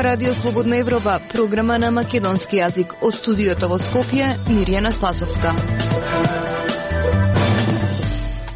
Радио Слободна Европа, програма на македонски јазик. Од студиото во Скопје, Мирјана Спасовска.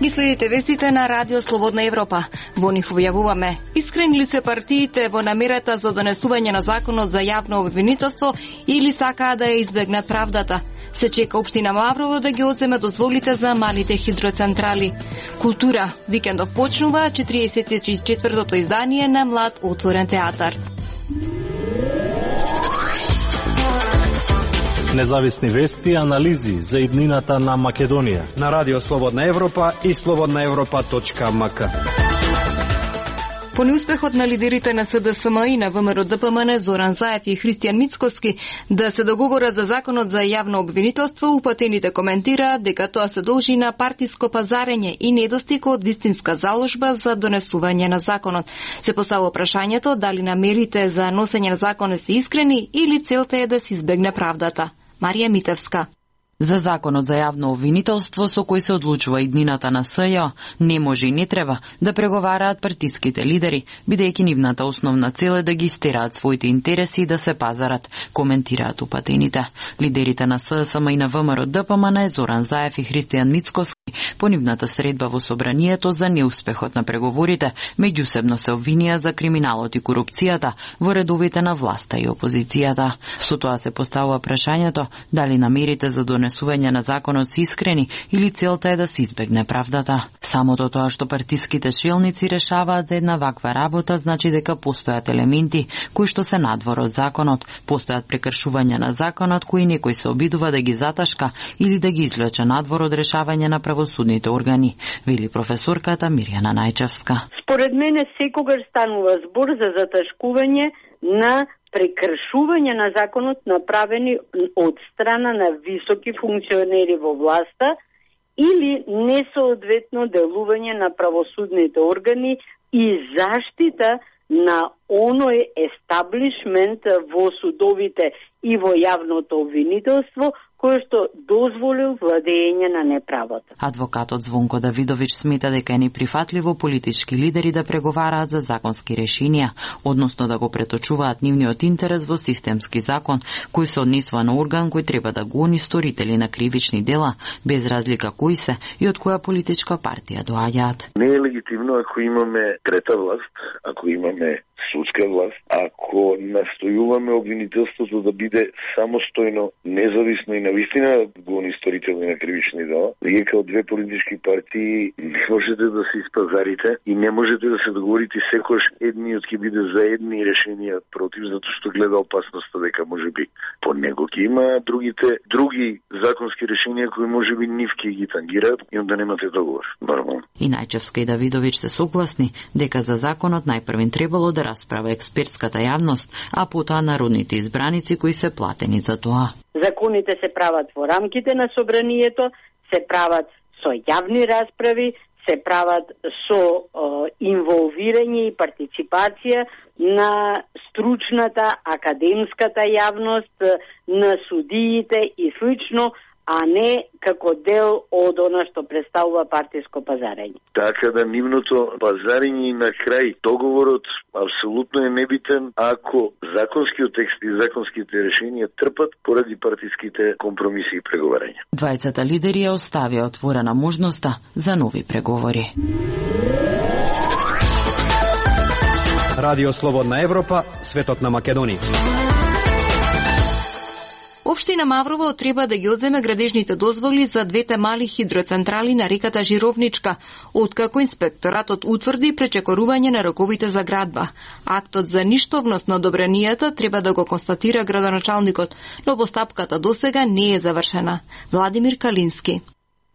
Ги следите вестите на Радио Слободна Европа. Во нив објавуваме: искрени ли се партиите во намерата за донесување на законот за јавно обвинителство или сакаат да ја избегнат правдата? Се чека општина Маврово да ги одземе дозволите за малите хидроцентрали. Култура. Викендов почнува 44-тото издание на Млад отворен театар. Независни вести и анализи за иднината на Македонија на Радио Слободна Европа и slobodnaevropa.mk. По неуспехот на лидерите на СДСМ и на ВМРО-ДПМН Зоран Заев и Христијан Мицкоски да се договорат за законот за јавно обвинителство, упатените коментираат дека тоа се должи на партиско пазарење и недостиг од вистинска заложба за донесување на законот. Се поставува прашањето дали намерите за носење на законот се искрени или целта е да се избегне правдата. Марија Митевска. За законот за јавно обвинителство со кој се одлучува иднината на СЈО не може и не треба да преговараат партиските лидери, бидејќи нивната основна цел е да ги истераат своите интереси и да се пазарат, коментираат упатените. Лидерите на СДСМ и на ВМРО-ДПМН Зоран Заев и Христијан Мицкоски по нивната средба во собранието за неуспехот на преговорите меѓусебно се обвинија за криминалот и корупцијата во редовите на власта и опозицијата. Со тоа се поставува прашањето дали намерите за донесување на законот се искрени или целта е да се избегне правдата. Самото тоа што партиските шелници решаваат за една ваква работа значи дека постојат елементи кои што се надвор од законот, постојат прекршувања на законот кои некој се обидува да ги заташка или да ги извлече надвор од решавање на правосудните органи, вели професорката Мирјана Најчевска. Според мене секогаш станува збор за заташкување на прекршување на законот направени од страна на високи функционери во власта или несоодветно делување на правосудните органи и заштита на оној естаблишмент во судовите и во јавното обвинителство кој што дозволил владење на неправата. Адвокатот Звонко Давидович смета дека е неприфатливо политички лидери да преговараат за законски решенија, односно да го преточуваат нивниот интерес во системски закон, кој се однесува на орган кој треба да го гони сторители на кривични дела, без разлика кои се и од која политичка партија доаѓаат. Не е легитимно ако имаме трета власт, ако имаме судска власт, ако настојуваме обвинителството да биде самостојно, независно и навистина гони сторители на кривични дела, вие као две политички партии не можете да се испазарите и не можете да се договорите секојаш едниот ќе биде за едни решенија против, затоа што гледа опасноста дека можеби по него ќе има други законски решенија кои можеби нив ќе ги тангираат и онда немате договор. Нормално. И Најчевска и Давидович се согласни дека за законот најпрвен требало да расправа експертската јавност, а потоа народните избраници кои се платени за тоа. Законите се прават во рамките на собранието, се прават со јавни расправи, се прават со инволвирање и партиципација на стручната академската јавност, на судиите и слично, а не како дел од она што представува партиско пазарење. Така да нивното пазарење и на крај договорот апсолутно е небитен ако законскиот текст и законските решенија трпат поради партиските компромиси и преговарања. Двајцата лидери ја оставија отворена можноста за нови преговори. Радио Слободна Европа, светот на Македонија. Општина Маврово треба да ги одземе градежните дозволи за двете мали хидроцентрали на реката Жировничка, откако инспекторатот утврди пречекорување на роковите за градба. Актот за ништовност на одобренијата треба да го констатира градоначалникот, но постапката досега не е завршена. Владимир Калински.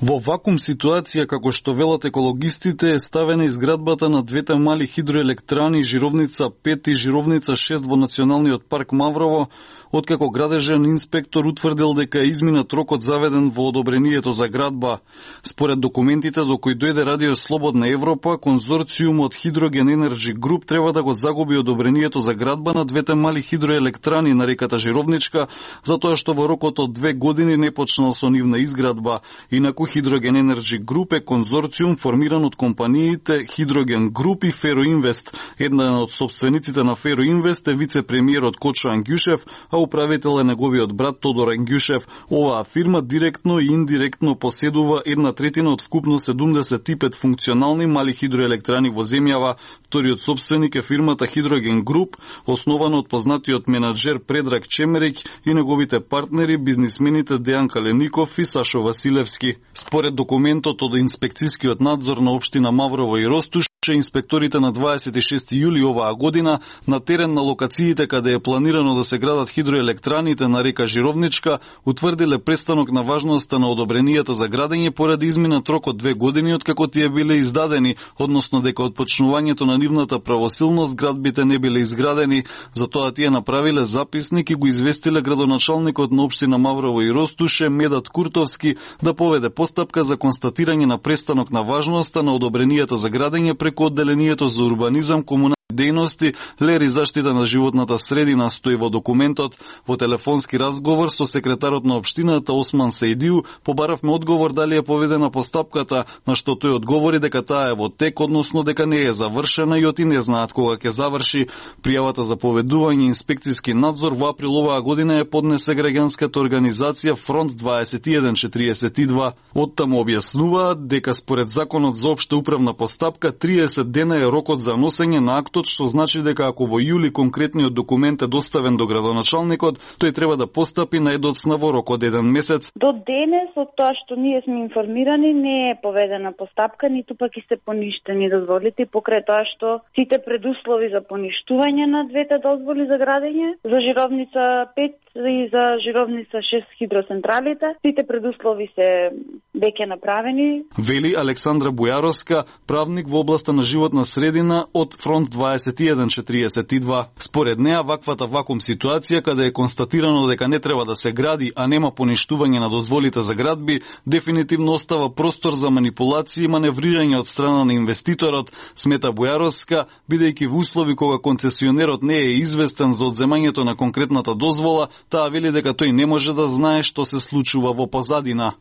Во вакуум ситуација, како што велат екологистите, е ставена изградбата на двете мали хидроелектрани Жировница 5 и Жировница 6 во Националниот парк Маврово, откако градежен инспектор утврдил дека е изминат рокот заведен во одобрението за градба. Според документите до кои дојде Радио Слободна Европа, конзорциумот Hydrogen Energy Group треба да го загуби одобрението за градба на двете мали хидроелектрани на реката Жировничка, затоа што во рокот од 2 години не почнал со нивна изградба, инаку Hydrogen Energy Group е конзорциум формиран од компаниите Hydrogen Group и Ferroinvest. Една од собствениците на Ferroinvest е вице-премиерот Кочо Ангјушев, а управител е неговиот брат Тодор Ангјушев. Оваа фирма директно и индиректно поседува 1/3 од вкупно 75 функционални мали хидроелектрани во земјава. Вториот собственик е фирмата Hydrogen Group, основана од познатиот менаџер Предраг Чемерик и неговите партнери, бизнисмените Дејан Калеников и Сашо Василевски. Според документот од инспекцијскиот надзор на општина Маврово и Ростуш, инспекторите на 26 јули оваа година на терен на локациите каде е планирано да се градат хидроелектраните на река Жировничка утврдиле престанок на важноста на одобренијата за градење поради изминат рок од 2 години откако тие биле издадени, односно дека од почнувањето на нивната правосилност градбите не биле изградени. Затоа тие направиле записник и го известиле градоначалникот на општина Маврово и Ростуше Медат Куртовски да поведе постапка за констатирање на престанок на важноста на одобренијата за градење преку одделението за урбанизам, комунални дејности, лери заштита на животната средина, стои во документот. Во телефонски разговор со секретарот на општината Осман Сејдиу побаравме одговор дали е поведена постапката, на што тој одговори дека таа е во тек, односно дека не е завршена и оти не знаат кога ќе заврши. Пријавата за поведување инспекцијски надзор во април оваа година е поднесе граѓанската организација Фронт 2142. Оттаму објаснуваат дека според законот за општа управна постапка 30 дена е рокот за носење на актот, што значи дека ако во јули конкретниот документ е доставен до градоначалникот, тој треба да постапи на едоцна во рок од 1 месец. До денес, од тоа што ние сме информирани, не е поведена постапка, ниту пак и се поништени дозволите, покрај тоа што сите предуслови за поништување на двете дозволи за градење, за Жировница 5 и за Жировница 6 хидроцентралите, сите предуслови се веќе направени. Вели Александра Бујаровска, правник во областа на животна средина од Фронт 2142. Според неа, ваквата вакуум ситуација, каде е констатирано дека не треба да се гради, а нема поништување на дозволите за градби, дефинитивно остава простор за манипулации и маневрирање од страна на инвеститорот, смета Бујаровска, бидејќи во услови кога концесионерот не е известен за одземањето на конкретната дозвола, таа вели дека тој не може да знае што се случува во позадина.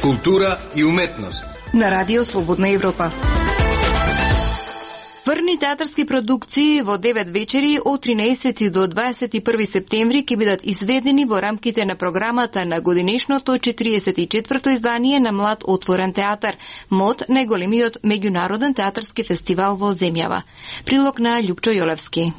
Култура и уметност на Радио Слободна Европа. Врни театарски продукции во 9 вечери од 13 до 21 септември ќе бидат изведени во рамките на програмата на годинешното 44-то издание на Млад отворен театар, МОТ, најголемиот меѓународен театарски фестивал во земјава. Прилог на Љупчо Јолевски.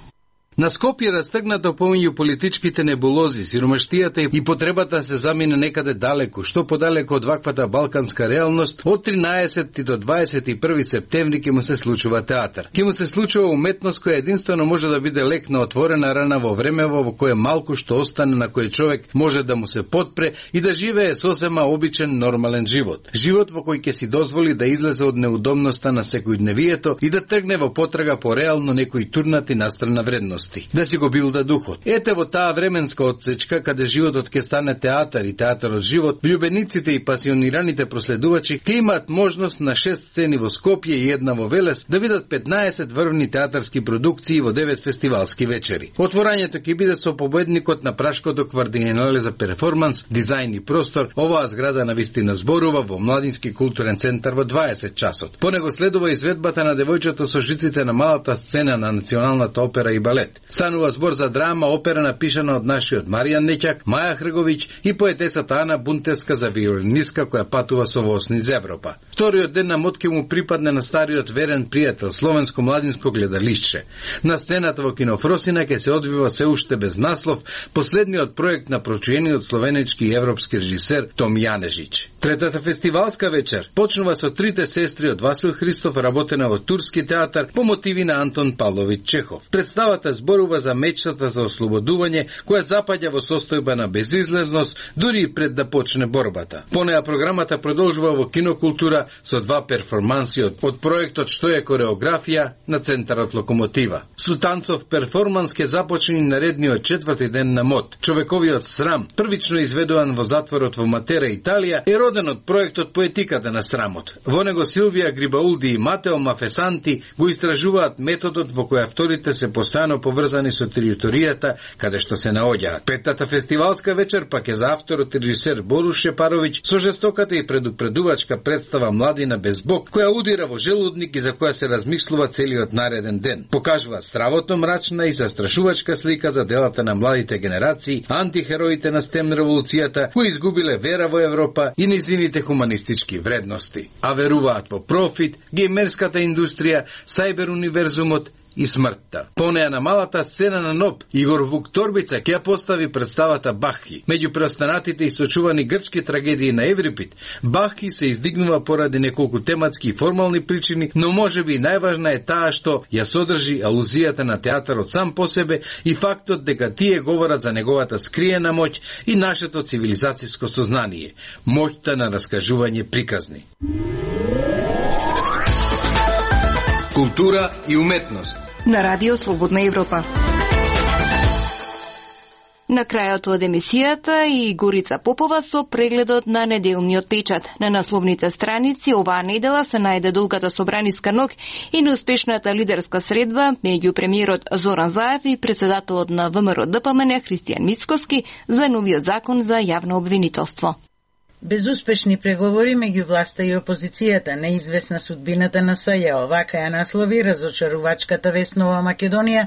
На Скопје растегнато помеѓу политичките небулози, сиромаштијата и потребата се замине некаде далеку, што подалеку од ваквата балканска реалност, од 13 до 21 септември ќе му се случува театар. Ќе му се случува уметност која единствено може да биде лек на отворена рана во времево во кое малку што остане на кој човек може да му се подпре и да живее сосема обичен нормален живот. Живот во кој ќе си дозволи да излезе од неудобноста на секојдневието и да тргне во потрага по реално некои турнати настрана вредност. Да си го билда духот. Ете во таа временска отсечка, каде животот ќе стане театар и театарот живот, влюбениците и пасионираните проследувачи ќе имаат можност на 6 сцени во Скопје и една во Велес да видат 15 врвни театарски продукции во 9 фестивалски вечери. Отворањето ќе биде со победникот на Прашкото квартиенале за перформанс, дизајн и простор. Оваа зграда на вистина зборува во Младински културен центар во 20 часот. По него следува изведбата на девојчето со жиците на малата сцена на Националната опера и балет. Станува збор за драма, опера напишана од нашиот Маријан Неќак, Маја Хрговиќ и поетесата Ана Бунтевска за виолинистка која патува со воз низ Европа. Вториот ден на МОТ ќе му припадне на стариот верен пријател, словенско младинско гледалишче. На сцената во Кинофросина ќе се одвива се уште без наслов последниот проект на прочуениот словенечки и европски режисер Том Јанежич. Третата фестивалска вечер почнува со трите сестри од Васил Христов, работена во турски театар по мотиви на Антон Павлович Чехов. Представата зборува за мечтата за ослободување која запаѓа во состојба на безизлезност дури и пред да почне борбата. Понеја програмата продолжува во Кинокултура со 2 перформанси од проектот Што е кореографија на Центарот Локомотива. Со танцов перформанс ќе започне наредниот 4ти ден на МОТ. Човековиот срам, првично изведуван во затворот во Матера, Италија, е роден од проектот Поетиката на срамот. Во него Силвија Грибаулди и Матео Мафесанти го истражуваат методот во кој авторите се постојано поврзани со територијата каде што се наоѓаат. Петата фестивалска вечер пак е за авторот и режисер Борис Шепаровиќ со жестоката и предупредувачка представа Младина без Бог, која удира во желудник и за која се размислува целиот нареден ден. Покажува стравото мрачна и застрашувачка слика за делата на младите генерации, антихероите на STEM револуцијата, кои изгубиле вера во Европа и низините хуманистички вредности, а веруваат во профит, геймерската индустрија, сајбер универзумот и смртта. По неа на малата сцена на НОП, Игор Вук Торбица ќе постави представата Бахи. Меѓу преостанатите и сочувани грчки трагедии на Еврипид, Бахи се издигнува поради неколку тематски и формални причини, но можеби најважна е таа што ја содржи алузијата на театарот сам по себе и фактот дека тие говорат за неговата скриена моќ и нашето цивилизацијско сознание, моќта на раскажување приказни. Култура и уметност на Радио Слободна Европа. На крајот од емисијата и Горица Попова со прегледот на неделниот печат. На насловните страници оваа недела се најде долгата собраниска ног и неуспешната лидерска средба меѓу премиерот Зоран Заев и председателот на ВМРО ДПМН Христијан Мицкоски за новиот закон за јавно обвинителство. Безуспешни преговори меѓу власта и опозицијата, неизвестна судбината на СЈО, вака ја наслови разочарувачката вест Нова Македонија,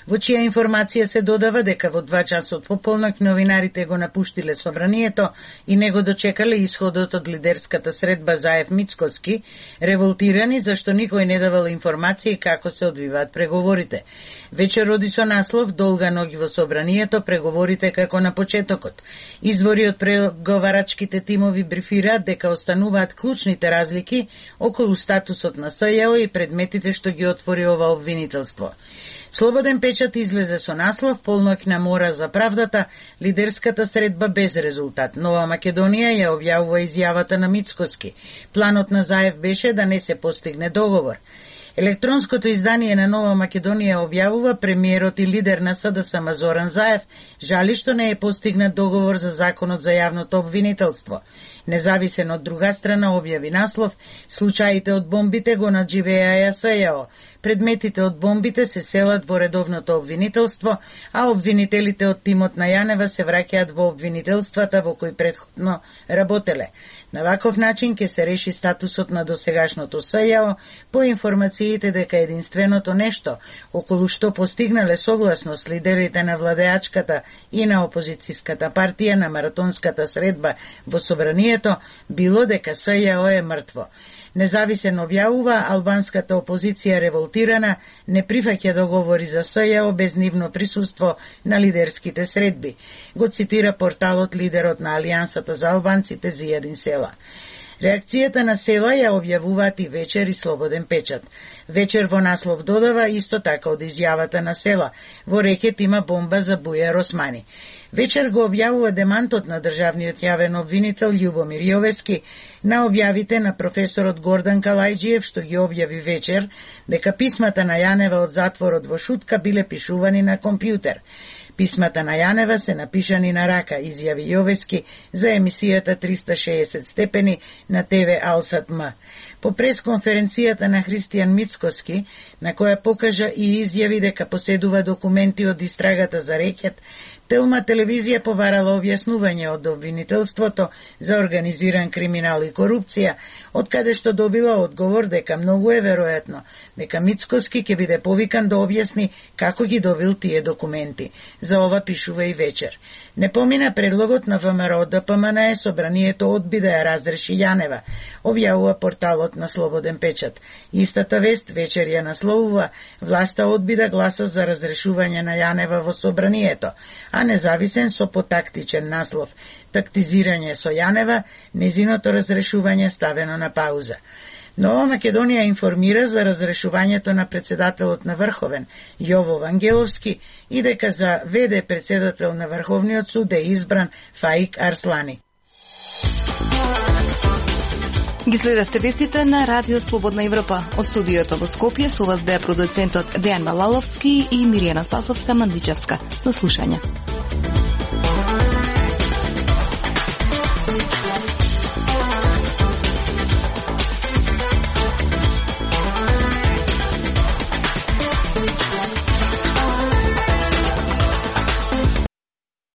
во чија информација се додава дека во 2 часот пополноќ новинарите го напуштиле собранието и не го дочекале исходот од лидерската средба Заев-Мицкоски, револтирани зашто никој не давал информации како се одвиваат преговорите. Вечер роди со наслов "Долга ноги во собранието, преговорите како на почетокот". Извори од преговарачките тимови брифираат дека остануваат клучните разлики околу статусот на СЈО и предметите што ги отвори ова обвинителство. Слободен печат излезе со наслов "Полноќна мора за правдата, лидерската средба без резултат". Нова Македонија ја објавува изјавата на Мицкоски. Планот на Заев беше да не се постигне договор. Електронското издание на Нова Македонија објавува премиерот и лидер на СДСМ Зоран Заев жали што не е постигнат договор за законот за јавното обвинителство. Независен од друга страна објави наслов "Случаите од бомбите го надживеа СЈО". Предметите од бомбите се селат во редовното обвинителство, а обвинителите од тимот на Јанева се враќаат во обвинителствата во кои претходно работеле. На ваков начин ќе се реши статусот на досегашното СЈО по информациите дека единственото нешто околу што постигнале согласност лидерите на владеачката и на опозицијската партија на маратонската средба во собранието било дека СЈО е мртво. Независен објавува албанската опозиција револтирана не прифаќа договори за СЈО без нивно присуство на лидерските средби. Го цитира порталот лидерот на Алијансата за албанците Зијадин Села. Реакцијата на Села ја објавуваат и Вечер и Слободен печат. Вечер во наслов додава исто така од изјавата на Села. Во рекет има бомба за Бујар Османи. Вечер го објавува демантот на државниот јавен обвинител Љубомир Јовески на објавите на професорот Гордан Калајџиев, што ги објави Вечер, дека писмата на Јанева од затворот во Шутка биле пишувани на компјутер. Писмата на Јанева се напишани на рака, изјави Јовески за емисијата 360 степени на ТВ Алсат М. По пресконференцијата на Христијан Мицкоски, на која покажа и изјави дека поседува документи од истрагата за рекет, Телма телевизија побарала објаснување од обвинителството за организиран криминал и корупција, од каде што добила одговор дека многу е веројатно дека Мицкоски ќе биде повикан да објасни како ги добил тие документи. За ова пишува и Вечер. Не помина предлогот на ВМРО ДПМН, собранието одби да ја разреши Јанева, објавува порталот на Слободен печат. Истата вест Вечер ја насловува власта одби да гласа за разрешување на Јанева во собранието, а независен со потактичен наслов "Тактизирање со Јанева, незиното разрешување ставено на пауза". Нова Македонија информира за разрешувањето на председателот на Врховен, Јово Вангеловски, и дека за ВД председател на Врховниот суд е избран Фаик Арслани. Ги следевте вестите на Радио Слободна Европа. Од студиото во Скопје со вас беа продуцентот Дејан Малаловски и Миријана Спасовска-Мандличевска. До слушање.